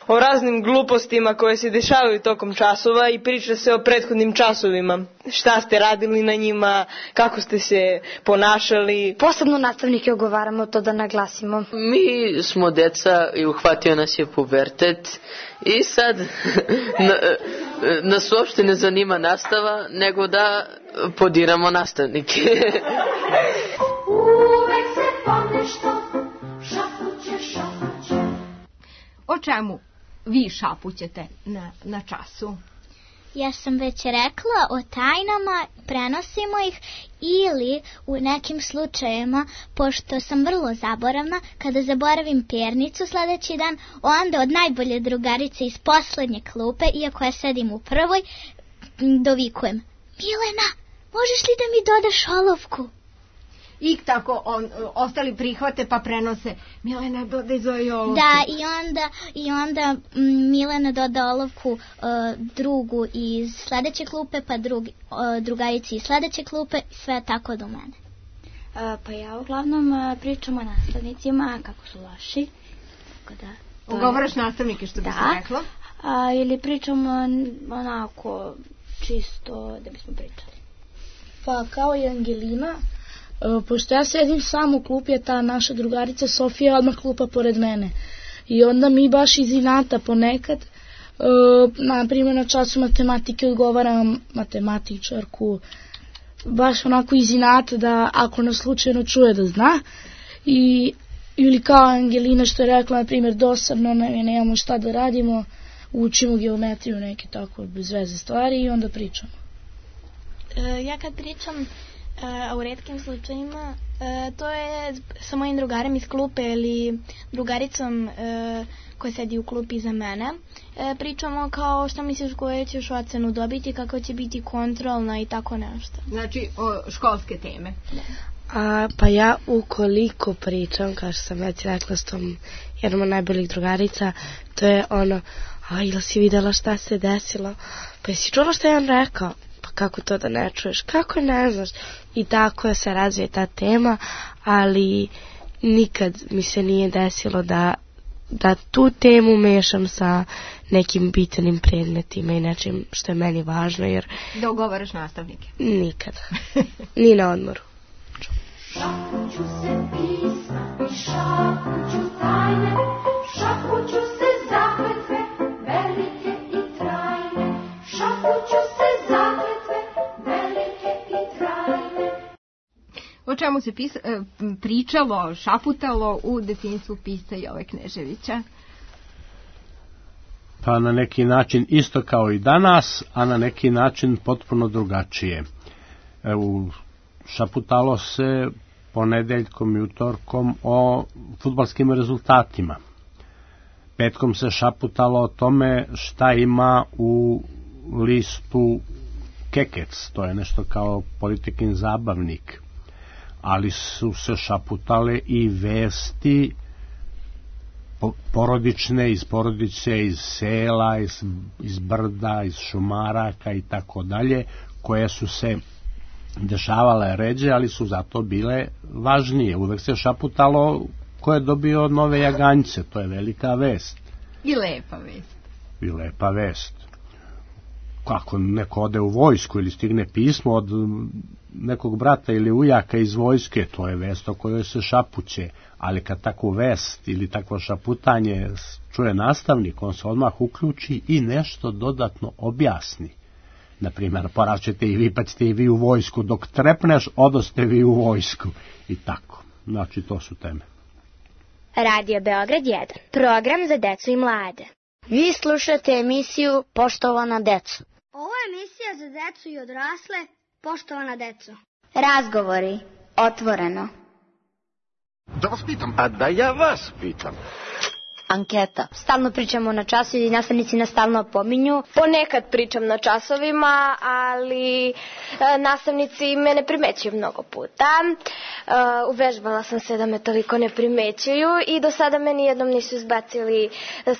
D: o raznim glupostima koje se dešavaju tokom časova i priča se o prethodnim časovima. Šta ste radili na njima, kako ste se ponašali.
A: Posebno nastavnike ogovaramo to da naglasimo.
R: Mi smo deca i uhvatio nas je pubertet i sad na, nas uopšte ne zanima nastava, nego da podiramo nastavnike.
E: Uvek se ponešto šapuće, šapuće.
F: O čemu vi šapućete na, na času?
K: Ja sam već rekla o tajnama, prenosimo ih ili u nekim slučajevima, pošto sam vrlo zaboravna, kada zaboravim pernicu sledeći dan, onda od najbolje drugarice iz poslednje klupe, iako ja sedim u prvoj, dovikujem: Milena, možeš li da mi dodaš olovku?
F: I tako on, ostali prihvate pa prenose: Milena, dodaj Zoji olovku.
K: Da, i onda, i onda m, Milena doda olovku uh, drugu iz sledeće klupe, pa drugi, uh, drugarici iz sledeće klupe, sve tako do mene.
I: Uh, pa ja uglavnom uh, pričam o nastavnicima, kako su loši. Tako da,
F: ugovaraš nastavnike, što bi se reklo?
I: A, ili pričam uh, onako čisto da bismo pričali.
H: Pa kao i Angelina, Uh, pošto ja sedim sam u klupi, je ta naša drugarica Sofija odmah klupa pored mene. I onda mi baš iz inata ponekad, uh, na primjer na času matematike odgovaram matematičarku, baš onako iz inata da ako nas slučajno čuje da zna. I, ili kao Angelina što je rekla, na primjer dosadno, ne, nemamo šta da radimo, učimo geometriju, neke tako bez veze stvari i onda pričamo.
C: Uh, ja kad pričam a u retkim slučajima e, to je sa mojim drugarem iz klupe ili drugaricom e, koja sedi u klupi iza mene. E, pričamo kao šta misliš koje ćeš ocenu dobiti, kako će biti kontrolna i tako nešto.
F: Znači o školske teme.
G: A, pa ja ukoliko pričam, kao što sam već rekla s tom jednom od najboljih drugarica, to je ono: a ili si videla šta se desilo? Pa jesi čula šta je on rekao? Kako to da ne čuješ, kako ne znaš. I tako se razvije ta tema, ali nikad mi se nije desilo da, da tu temu mešam sa nekim bitnim predmetima i nečim što je meni važno, jer...
F: Da ugovaraš nastavnike?
G: Nikada. Ni na odmoru.
E: Šapuću se pisma i šapuću tajne, šapuću se zakletve, velike i trajne, šapuću se zakletve, velike i trajne.
F: O čemu se pisa, pričalo, šaputalo u detinjstvu pisca Jove Kneževića?
L: Pa na neki način isto kao i danas, a na neki način potpuno drugačije. U šaputalo se ponedeljkom i utorkom o fudbalskim rezultatima. Petkom se šaputalo o tome šta ima u listu Kekec, to je nešto kao Politikin zabavnik, ali su se šaputale i vesti porodične, iz porodice, iz sela, iz, iz brda, iz šumaraka i tako dalje, koje su se dešavale ređe, ali su zato bile važnije. Uvek se šaputalo ko je dobio nove jaganjce, to je velika vest.
F: I lepa vest.
L: I lepa vest. Kako neko ode u vojsku ili stigne pismo od nekog brata ili ujaka iz vojske, to je vest o kojoj se šapuće, ali kad takvu vest ili takvo šaputanje čuje nastavnik, on se odmah uključi i nešto dodatno objasni. Naprimjer, poraćete i vi, pa ćete i vi u vojsku, dok trepneš, odoste vi u vojsku i tako. Znači, to su teme.
O: Radio Beograd jedan, program za decu i mlade.
B: Vi slušate emisiju Poštovana deco.
S: Ovo je emisija za decu i odrasle, poštovana deco.
B: Razgovori, otvoreno.
N: Da vas pitam. A da ja vas pitam.
A: Anketa. Stalno pričamo na času i nastavnici nas stalno opominju.
J: Ponekad pričam na časovima, ali e, nastavnici me ne primećuju mnogo puta. E, uvežbala sam se da me toliko ne primećuju i do sada me nijednom nisu izbacili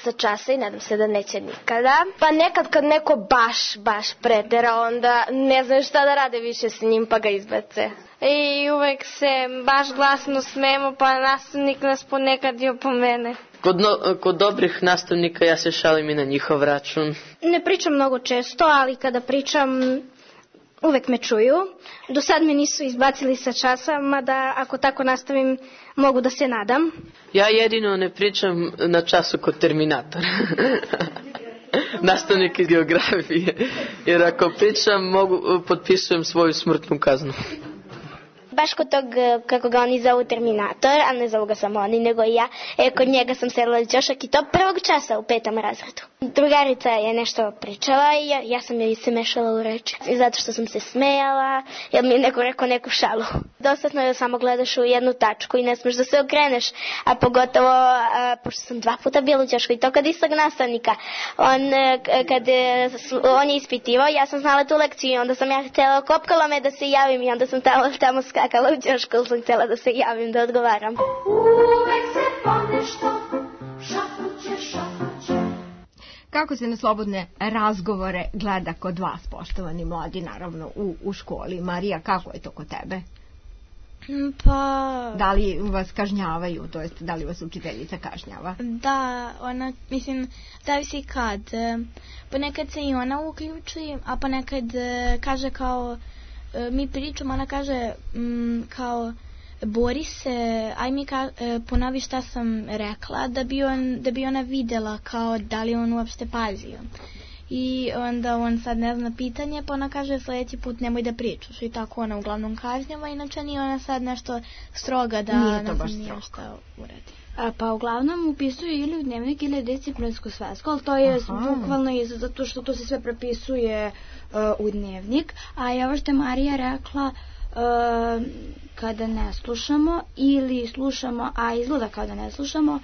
J: sa časa i nadam se da neće nikada. Pa nekad kad neko baš, baš pretera, onda ne znaju šta da rade više s njim pa ga izbace. i uvek se baš glasno smemo, pa nastavnik nas ponekad i opomene.
R: Kod, no, kod dobrih nastavnika ja se šalim i na njihov račun.
A: Ne pričam mnogo često, ali kada pričam uvek me čuju. Do sad me nisu izbacili sa časa, mada ako tako nastavim mogu da se nadam.
R: Ja jedino ne pričam na času kod Terminatora. Nastavnik iz geografije. Jer ako pričam, mogu, potpisujem svoju smrtnu kaznu.
O: Baš kod tog, kako ga oni zovu Terminator, a ne zovu ga samo oni, nego i ja, e, kod njega sam sedela ćošak i to prvog časa u petom razredu. Drugarica je nešto pričala i ja, ja sam joj se mešala u reči, zato što sam se smejala, jer mi je neko rekao neku šalu. Dostatno je da samo gledaš u jednu tačku i ne smeš da se okreneš, a pogotovo, a, pošto sam dva puta bila u ćošku i to kad istog nastavnika, on, kad on je ispitivao, ja sam znala tu lekciju i onda sam ja htjela, kopkala me da se javim i onda sam tamo, tamo skakala. Kala u ćošku, sam htjela da se javim, da odgovaram.
E: Uvek se ponešto šapuće, šapuće.
F: Kako se na slobodne razgovore gleda kod vas, poštovani mladi, naravno, u, u školi? Marija, kako je to kod tebe?
C: Pa...
F: Da li vas kažnjavaju, to jest da li vas učiteljica kažnjava?
C: Da, ona, mislim, zavisi kad. Ponekad se i ona uključi, a ponekad kaže kao... mi pričamo, ona kaže m, kao bori se, aj mi ka, ponovi šta sam rekla, da bi, on, da bi ona videla kao da li on uopšte pazio. I onda on sad ne zna pitanje, pa ona kaže sljedeći put nemoj da pričaš. I tako ona uglavnom kažnjava, inače nije ona sad nešto stroga da
F: nije to
C: ne
F: baš
C: znam šta uradi.
I: A, pa uglavnom upisuju ili u dnevnik ili disciplinsku svesku, ali to je bukvalno i zato što to se sve prepisuje uh, u dnevnik. A i ovo što je Marija rekla, uh, kada ne slušamo ili slušamo, a izgleda kao da ne slušamo, uh,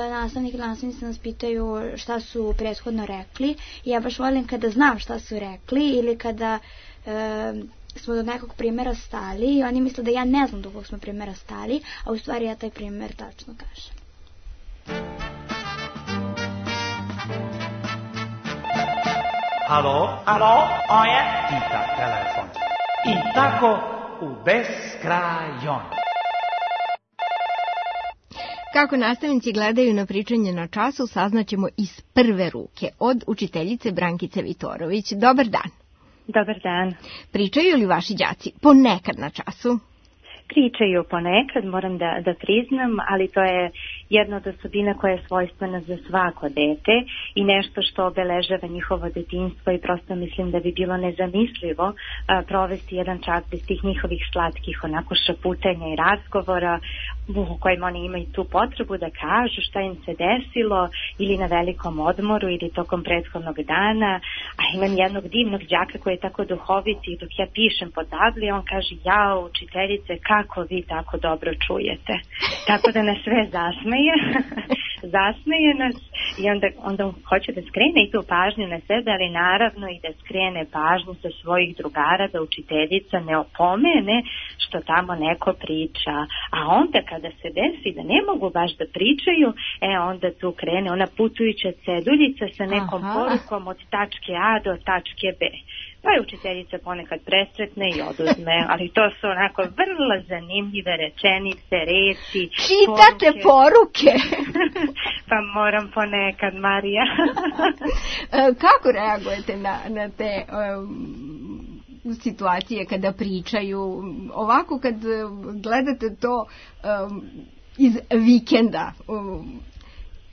I: nastavnik ili nastavnici nas pitaju šta su prethodno rekli. I ja baš volim kada znam šta su rekli ili kada... Uh, smo do nekog primjera stali i oni misle da ja ne znam do kog smo primjera stali, a u stvari ja taj primjer tačno kažem.
M: Alo, alo, ovo je Pita telefon. I tako u beskrajon.
F: Kako nastavnici gledaju na pričanje na času, saznaćemo iz prve ruke od učiteljice Brankice Vitorović. Dobar dan.
T: Dobar dan.
F: Pričaju li vaši đaci ponekad na času?
T: Pričaju ponekad, moram da, da priznam, ali to je jedna od osobina koja je svojstvena za svako dete i nešto što obeležava njihovo detinjstvo i prosto mislim da bi bilo nezamislivo a, provesti jedan čas bez tih njihovih slatkih onako šaputenja i razgovora u kojim oni imaju tu potrebu da kažu šta im se desilo ili na velikom odmoru ili tokom prethodnog dana. A imam jednog divnog đaka koji je tako duhovit i dok ja pišem po tabli on kaže jao učiteljice kako vi tako dobro čujete. Tako da nas sve zasmeje, zasmeje nas i onda, onda on hoće da skrene i tu pažnju na sebe, ali naravno i da skrene pažnju sa svojih drugara da učiteljica ne opomene što tamo neko priča. A onda kada se desi da ne mogu baš da pričaju, e onda tu krene ona putujuća ceduljica sa nekom Aha. porukom od tačke A do tačke B. Pa je učiteljica ponekad presretne i oduzme, ali to su onako vrlo zanimljive rečenice, reči.
F: Čitate poruke?
T: Pa moram ponekad, Marija.
F: Kako reagujete na, na te um, situacije kada pričaju? Ovako kad gledate to um, iz vikenda, um,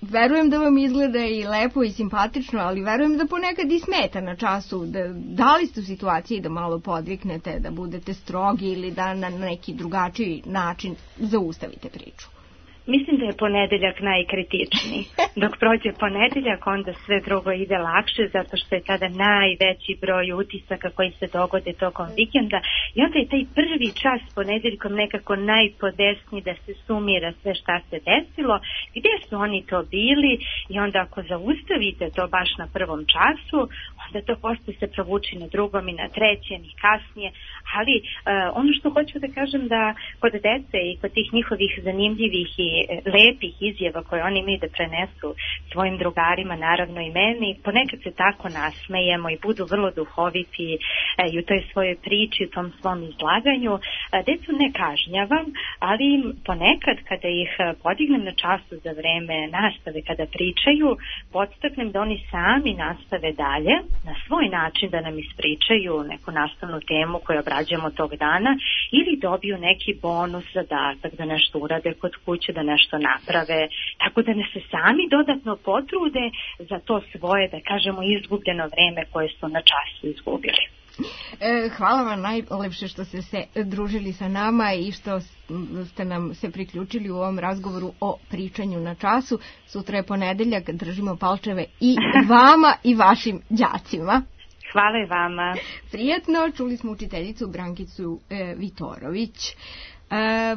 F: verujem da vam izgleda i lepo i simpatično, ali verujem da ponekad i smeta na času. Da, da li ste u situaciji da malo podviknete, da budete strogi ili da na neki drugačiji način zaustavite priču?
T: Mislim da je ponedeljak najkritičniji. Dok prođe ponedeljak, onda sve drugo ide lakše, zato što je tada najveći broj utisaka koji se dogode tokom vikenda. I onda je taj prvi čas ponedeljkom nekako najpodesniji da se sumira sve šta se desilo, gdje su oni to bili i onda ako zaustavite to baš na prvom času, onda to posle se provuči na drugom i na trećem i kasnije, ali uh, ono što hoću da kažem da kod dece i kod tih njihovih zanimljivih i lepih izjava koje oni imaju da prenesu svojim drugarima, naravno i meni, ponekad se tako nasmejemo i budu vrlo duhoviti uh, i u toj svojoj priči, u tom svom izlaganju. Uh, decu ne kažnjavam, ali ponekad kada ih podignem na času za vreme nastave, kada pričaju, podstaknem da oni sami nastave dalje, na svoj način da nam ispričaju neku nastavnu temu koju obrađujemo tog dana ili dobiju neki bonus, zadatak da nešto urade kod kuće, da nešto naprave, tako da ne se sami dodatno potrude za to svoje, da kažemo, izgubljeno vreme koje su na času izgubili.
F: E, hvala vam najlepše što ste se družili sa nama i što ste nam se priključili u ovom razgovoru o pričanju na času. Sutra je ponedeljak, držimo palčeve i vama i vašim đacima.
T: Hvala i vama.
F: Prijetno, čuli smo učiteljicu Brankicu e, Vitorović. E,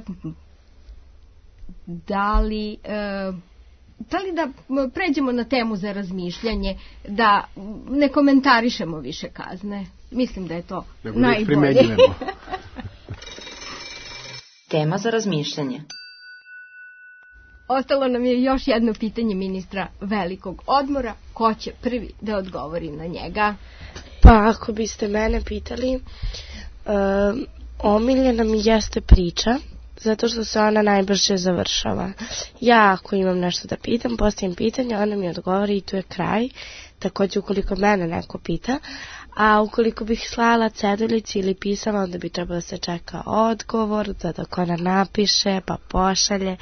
F: da li... E, Da li da pređemo na temu za razmišljanje, da ne komentarišemo više kazne? Mislim da je to nego najbolje.
Q: Tema za razmišljanje.
F: Ostalo nam je još jedno pitanje ministra velikog odmora. Ko će prvi da odgovori na njega?
G: Pa ako biste mene pitali, um, omiljena mi jeste priča, zato što se ona najbrže završava. Ja ako imam nešto da pitam, postavim pitanje, ona mi odgovori i tu je kraj. Također ukoliko mene neko pita, a ukoliko bih slala ceduljici ili pisala, onda bi trebalo da se čeka odgovor, da dok ona napiše, pa pošalje.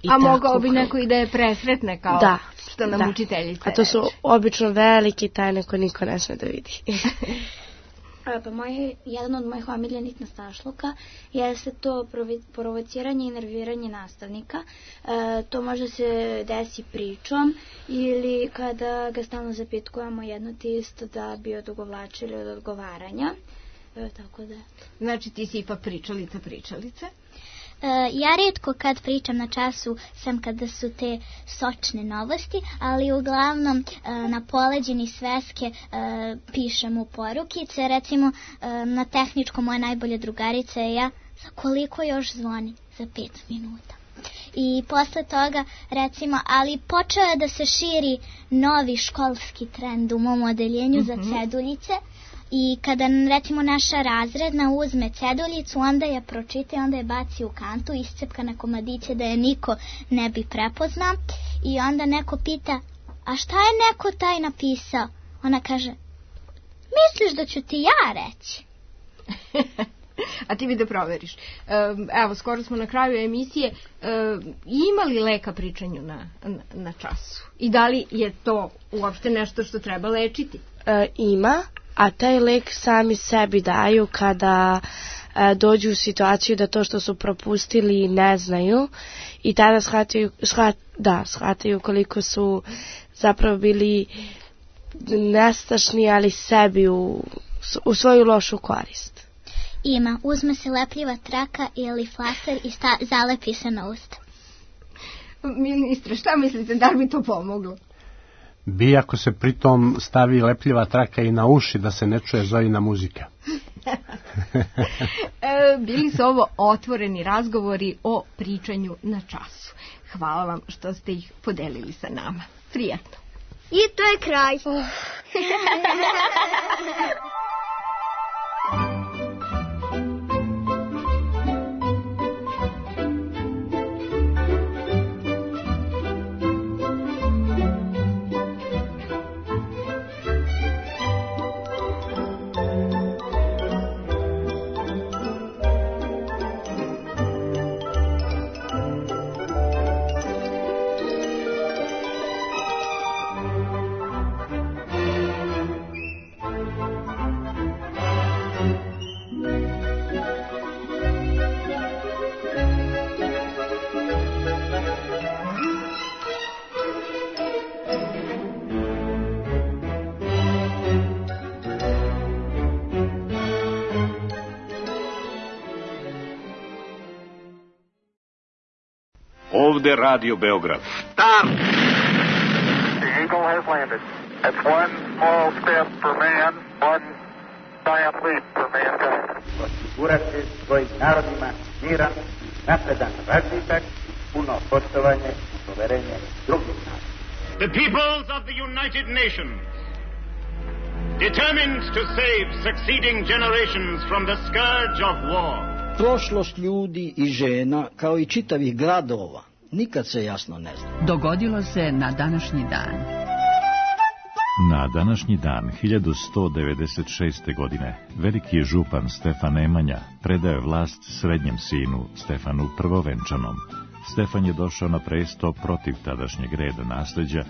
G: I
F: a mogao bi neko i da je presretne kao
G: da,
F: što nam
G: da.
F: učiteljica.
G: A to su obično velike tajne koje niko ne sme da vidi.
I: Pa moj, jedan od mojih omiljenih nastašluka jeste to provociranje i nerviranje nastavnika. E, to može se desi pričom ili kada ga stalno zapitkujemo jedno te isto da bi odugovlačili od odgovaranja. E, tako da.
F: Znači ti si ipak pričalica pričalice?
K: Uh, ja rijetko kad pričam na času sam kada su te sočne novosti, ali uglavnom uh, na poleđini sveske uh, pišem u porukice. Recimo uh, na tehničkom moja najbolja drugarica je ja, za koliko još zvoni? Za pet minuta. I posle toga, recimo, ali počeo je da se širi novi školski trend u mom odeljenju mm-hmm. za ceduljice. I kada, recimo, naša razredna uzme ceduljicu, onda je pročita i onda je baci u kantu, iscepka na komadiće da je niko ne bi prepoznao. I onda neko pita, a šta je neko taj napisao? Ona kaže, misliš da ću ti ja reći?
F: A ti bi da proveriš. Evo, skoro smo na kraju emisije. Ima li leka pričanju na, na, na času? I da li je to uopšte nešto što treba lečiti?
G: E, ima. A taj lek sami sebi daju kada e, dođu u situaciju da to što su propustili ne znaju i tada shvataju, shvat, da, shvataju koliko su zapravo bili nestašni, ali sebi u, u svoju lošu korist.
K: Ima, uzme se lepljiva traka ili flaster i sta, zalepi se na usta.
F: Ministre, šta mislite, da li bi to pomoglo?
L: Bi ako se pritom stavi lepljiva traka i na uši da se ne čuje Zojina muzika.
F: e, bili su ovo otvoreni razgovori o pričanju na času. Hvala vam što ste ih podelili sa nama. Prijatno.
S: I to je kraj. Oh.
N: Ovde Radio Beograd.
B: Stop! The Eagle has landed.
N: That's one small step for man, one giant leap for mankind.
B: Osigurati svojim narodima miran, napredan razvitak, puno poštovanje i poverenje drugih naroda.
S: The peoples of the United Nations, determined to save succeeding generations from the scourge of war.
U: Prošlost ljudi i žena, kao i čitavih gradova, nikad se jasno ne zna.
V: Dogodilo se na današnji dan.
W: Na današnji dan hiljadu sto devedeset šeste. godine veliki župan Stefan Nemanja predao je vlast srednjem sinu Stefanu Prvovenčanom. Stefan je došao na presto protiv tadašnjeg reda nasleđa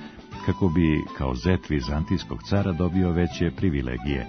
W: kako bi kao zet vizantijskog cara dobio veće privilegije.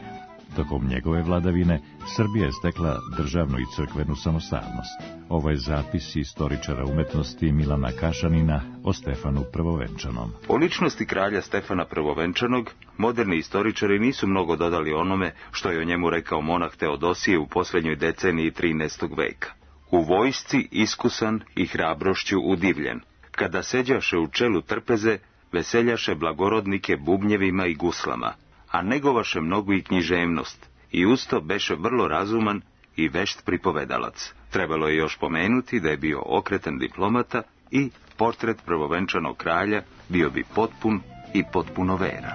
W: Tokom njegove vladavine Srbija je stekla državnu i crkvenu samostalnost. Ovo je zapis istoričara umetnosti Milana Kašanina o Stefanu Prvovenčanom.
X: O ličnosti kralja Stefana Prvovenčanog moderni istoričari nisu mnogo dodali onome što je o njemu rekao monah Teodosije u posljednjoj deceniji trinaestog veka. U vojsci iskusan i hrabrošću udivljen. Kada seđaše u čelu trpeze, veseljaše blagorodnike bubnjevima i guslama, a negovaše mnogo i književnost, i usto beše vrlo razuman i vešt pripovedalac. Trebalo je još pomenuti da je bio okretan diplomata i portret prvovenčanog kralja bio bi potpun i potpuno veran.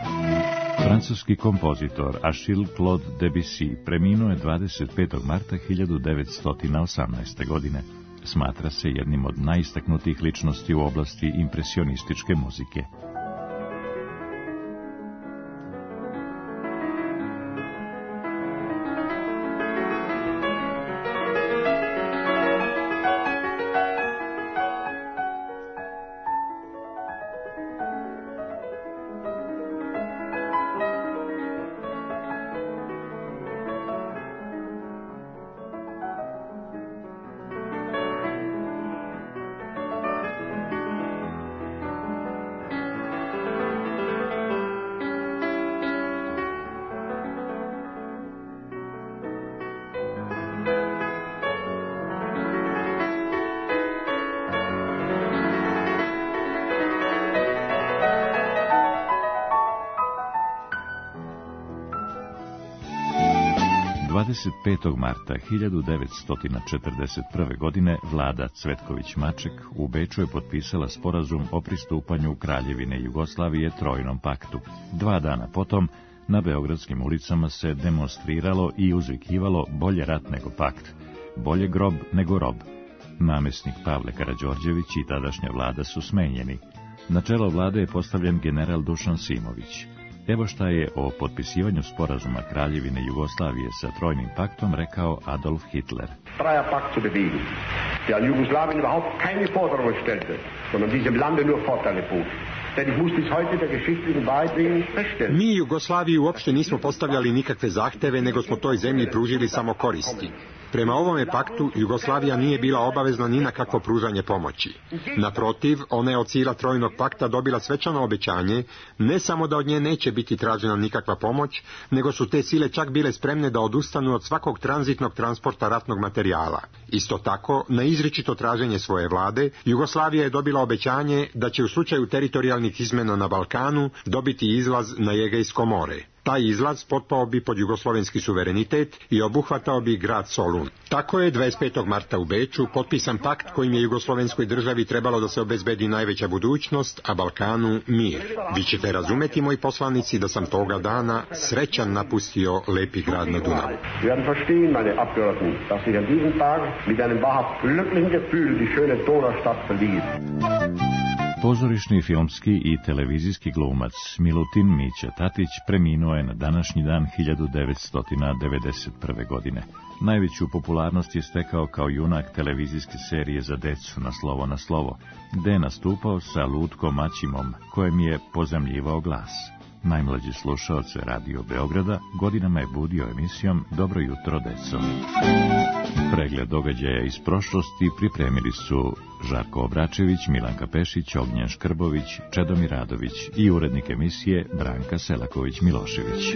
W: Francuski kompozitor Achille Claude Debussy preminuo je dvadeset petog marta hiljadu devetsto osamnaeste. godine. Smatra se jednim od najistaknutijih ličnosti u oblasti impresionističke muzike. dvadeset petog marta hiljadu devetsto četrdeset prve. godine vlada Cvetković-Maček u Beču je potpisala sporazum o pristupanju Kraljevine Jugoslavije Trojnom paktu. Dva dana potom na beogradskim ulicama se demonstriralo i uzvikivalo bolje rat nego pakt, bolje grob nego rob. Namesnik Pavle Karađorđević i tadašnja vlada su smenjeni. Na čelo vlade je postavljen general Dušan Simović. Evo šta je o potpisivanju sporazuma Kraljevine Jugoslavije sa Trojnim paktom rekao Adolf Hitler.
Y: Dreier Pakt zu bewegen, der an Jugoslawien überhaupt keine Forderungen stellte, sondern diesem Lande nur Vorteile bot. Denn ich muss bis heute der geschichtlichen Wahrheit wegen feststellen.
Z: Mi Jugoslaviji uopšte nismo postavljali nikakve zahteve, nego smo toj zemlji pružili samo koristi. Prema ovome paktu, Jugoslavija nije bila obavezna ni na kakvo pružanje pomoći. Naprotiv, ona je od sila Trojnog pakta dobila svečano obećanje, ne samo da od nje neće biti tražena nikakva pomoć, nego su te sile čak bile spremne da odustanu od svakog tranzitnog transporta ratnog materijala. Isto tako, na izričito traženje svoje vlade, Jugoslavija je dobila obećanje da će u slučaju teritorijalnih izmena na Balkanu dobiti izlaz na Egejsko more. Taj izlaz potpao bi pod jugoslovenski suverenitet i obuhvatao bi grad Solun. Tako je dvadeset petog marta u Beču potpisan pakt kojim je jugoslovenskoj državi trebalo da se obezbedi najveća budućnost, a Balkanu mir. Vi ćete razumeti, moji poslanici, da sam toga dana srećan napustio lepi grad na Dunavu.
Y: Sie werden verstehen, meine Abgeordneten, dass ich an diesem Tag mit einem wahrhaft glücklichen Gefühl die schöne Donaustadt verließ.
W: Pozorišni, filmski i televizijski glumac Milutin Mića Tatić preminuo je na današnji dan hiljadu devetsto devedeset prve. godine. Najveću popularnost je stekao kao junak televizijske serije za decu Na slovo na slovo, gde je nastupao sa Lutkom Maćimom, kojem je pozemljivao glas. Najmlađi slušaoce Radio Beograda godinama je budio emisijom Dobro jutro, deco. Pregled događaja iz prošlosti pripremili su Žarko Obračević, Milanka Pešić, Ognjen Škrbović, Čedomir Radović i urednik emisije Branka Selaković-Milošević.